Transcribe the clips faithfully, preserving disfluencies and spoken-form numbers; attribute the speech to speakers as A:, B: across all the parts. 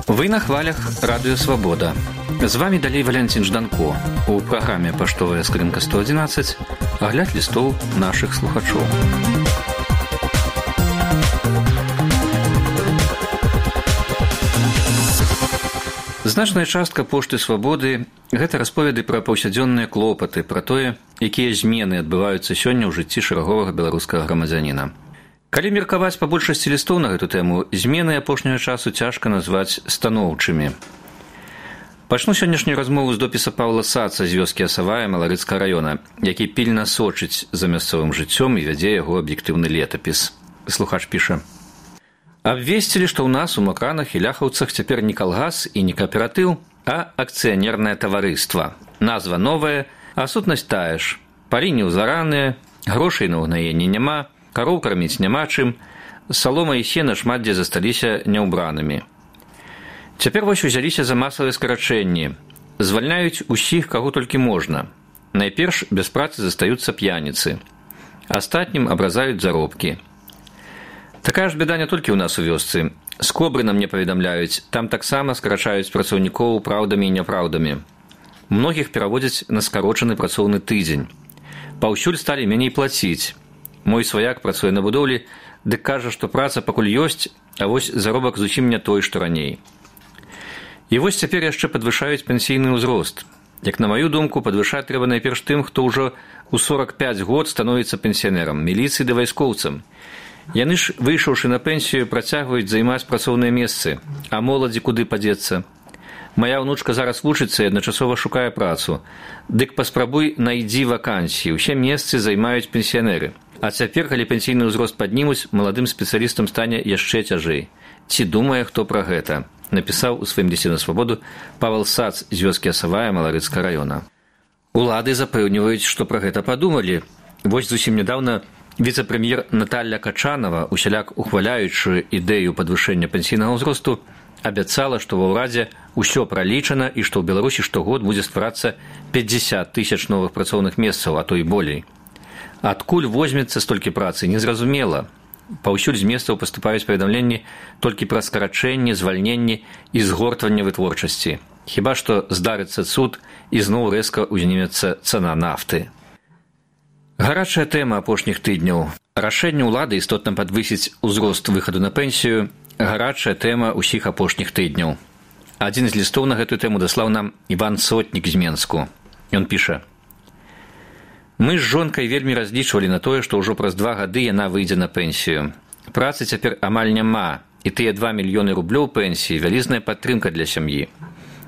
A: Вы на хвалях Радыё Свабода. З вами далей Валянцін Жданко. У праграме «Паштовая скрынка сто адзінаццаць» агляд лістоў нашых слухачоў. Значная частка пошты Свабоды – гэта расповеды пра паўсядзённыя клопаты, пра тое, якія змены адбываюцца сёння ў жыцці шэраговага беларускага грамадзяніна. Калі меркаваць па большасці лістоў на гэту тэму, змены апошняга часу цяжка назваць станоўчымі. Пачну сённяшнюю размову з допіса Паўла Саца з вёскі Асавая Маларыцкага раёна, які пільна сочыць за мясцовым жыццём і вядзе яго аб'ектыўны летапіс. Слухач піша: «Абвесцілі, што ў нас у Макранах і Ляхаўцах цяпер не калгас і не кааператыў, а акцыянернае таварыства. Назва новая, а сутнасць тая ж. Палі неўзараныя, грошай на ўгнаенне няма, кароў карміць няма чым, салома і сена шмат дзе засталіся няўбранымі. Цяпер вось узяліся за масавыя скарачэнні. Звальняюць усіх, каго толькі можна. Найперш без працы застаюцца п'яніцы. Астатнім абразаюць заробкі. Такая ж беда не толькі ў нас у вёсцы. З Кобры нам не паведамляюць, там таксама скарачаюць працаўнікоў праўдамі і няпраўдамі. Многіх пераводзяць на скарочаны працоўны тыдзень. Паўсюль сталі меней плаціць. Мой сваяк працуе на будоўлі, дык кажа, што праца пакуль ёсць, а вось заробак зусім не той, што раней. І вось цяпер яшчэ падвышаюць пенсійны ўзрост. Як на маю думку, падвышаць трэба найперш тым, хто ўжо ў сорак пяць год становіцца пенсіянерам, міліцыі ды вайскоўцам. Яны ж, выйшаўшы на пенсію, працягваюць займаць працоўныя месцы, а моладзі куды падзецца? Мая ўнучка зараз вучыцца і адначасова шукае працу. Дык паспрабуй найдзі вакансіі, усе месцы займаюць пенсіянеры. А цяпер, калі пенсійны ўзрост паднімуць, маладым спецыялістам стане яшчэ цяжэй. Ці думае хто пра гэта? Напісаў у сваім лісце на Свабоду Павел Сац з вёскі Асавая Маларыцкага раёна. Улады запэўніваюць, што пра гэта падумалі. Вось зусім нядаўна віцэ-прэм'ер Наталля Качанова, усяляк ухваляючы ідэю падвышэння пенсійнага ўзросту, абяцала, што ва ўрадзе ўсё пралічана і што ў Беларусі штогод будзе стварацца пяцьдзясят тысяч новых працоўных месцаў, а то і болей. Адкуль возьмецца столькі працы, незразумела. Паўсюль з месцаў паступаюць паведамленні толькі пра скарачэнне, звальненне і згортванне вытворчасці. Хіба што здарыцца цуд і зноў рэзка ўзнімецца цана нафты. Гарачая тэма апошніх тыдняў. Рашэнне ўлады істотна падвысіць узрост выхаду на пенсію – гарачая тэма ўсіх апошніх тыдняў. Адзін з лістоў на гэтую тэму даслаў нам Іван Сотнік з Менску. Ён піша: «Мы з жонкай вельмі разлічвалі на тое, што ўжо праз два гады яна выйдзе на пенсію. Працы цяпер амаль няма, і тыя два мільёны рублёў пенсіі – вялізная падтрымка для сям'і.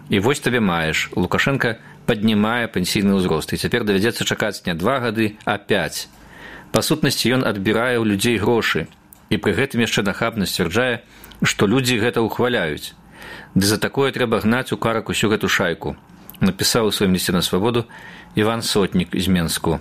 A: І вось табе маеш, Лукашенка паднімае пенсійны ўзрост, і цяпер давядзецца чакаць не два гады, а пяць. Па сутнасці ён адбірае ў людзей грошы, і пры гэтым яшчэ нахабна сцвярджае, што людзі гэта ўхваляюць. Ды за такое трэба гнаць у карак усю гэту шайку», напісаў у сваім лісце на Свабоду Іван Сотнік з Менску.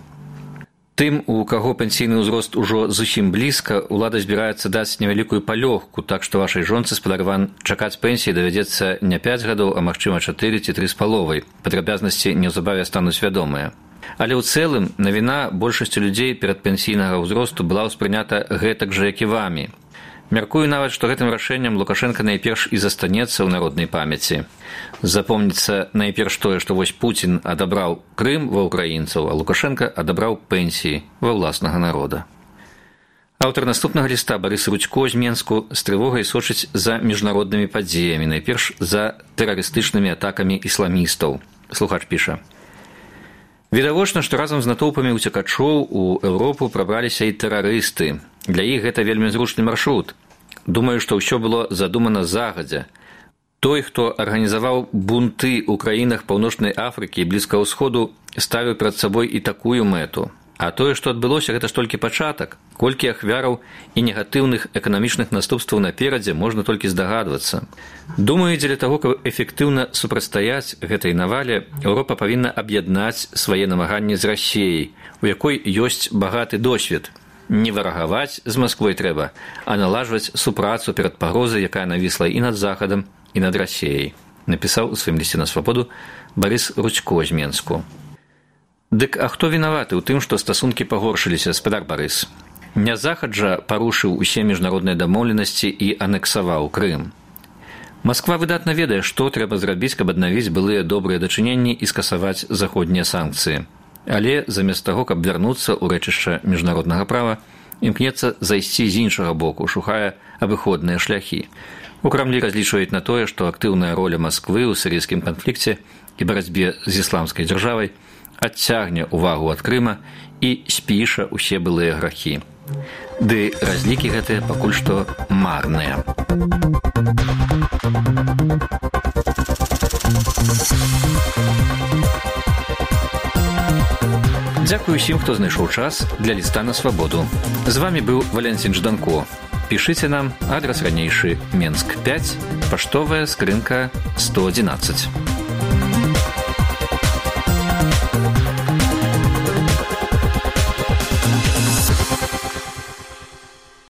A: Тым, у каго пенсійны ўзрост ужо зусім блізка, улада збіраецца даць невялікую палёгку, так што вашай жонцы спадарван чакаць пенсіі давядзецца не пяць гадоў, а магчыма чатыры ці тры з паловай. Падрабязнасці неўзабаве стануць вядомыя. Але ў цэлым навіна большасці людзей перад пенсійнага ўзросту была ўспрынята гэтак жа, як і вамі. Мяркую нават, што гэтым рашэннем Лукашенка найперш і застанецца ў народнай памяці. Запомніцца найперш тое, што вось Пуцін адабраў Крым ва ўкраінцаў, а Лукашенка адабраў пенсіі ва ўласнага народа. Аўтар наступнага ліста Барыс Рудзько з Менску з трывогай сочыць за міжнароднымі падзеямі, найперш за тэрарыстычнымі атакамі ісламістаў. Слухач піша: «Відавочна, што разам з натоўпамі ўцекачоў у Еўропу прабраліся і тэрарысты. Для іх гэта вельмі зручны маршрут. Думаю, што ўсё было задумана загадзя. Той, хто арганізаваў бунты ў краінах Паўночнай Афрыкі і Блізкага ўсходу, ставіў перад сабой і такую мэту. А тое, што адбылося, гэта ж толькі пачатак. Колькі ахвяраў і негатыўных эканамічных наступстваў наперадзе, можна толькі здагадвацца. Думаю, дзеля таго, каб эфектыўна супрацьстаяць гэтай навале, Еўропа павінна аб'яднаць свае намаганні з Расіяй, у якой ёсць багаты досвед. Не варагаваць з Масквой трэба, а наладжваць супрацу перад пагрозай, якая навісла і над Захадам, і над Расіяй», напісаў у сваім лісце на Свабоду Барыс Рудзько з Менску. Дык а хто вінаваты ў тым, што стасункі пагоршыліся, спадар Барыс? Нязахаджа парушыў усе міжнародныя дамоўленасці і анексаваў Крым. Масква выдатна ведае, што трэба зрабіць, каб аднавіць былыя добрыя дачыненні і скасаваць заходнія санкцыі. Але замест таго, каб вярнуцца ў рэчышча міжнароднага права, імкнецца зайсці з іншага боку, шукае абыходныя шляхі. У Крамлі разлічваюць на тое, што актыўная роля Масквы ў сірыйскім канфлікце і барацьбе з ісламскай дзяржавай адцягне ўвагу ад Крыма і спіша ўсе былыя грахі. Ды разлікі гэтыя пакуль што марныя. Дзякую усім, хто знайшоў час для ліста на свабоду. З вамі быў Валянцін Жданко. Пішыце нам, адрас ранейшы Менск пяць, паштовая скрынка сто адзінаццаць.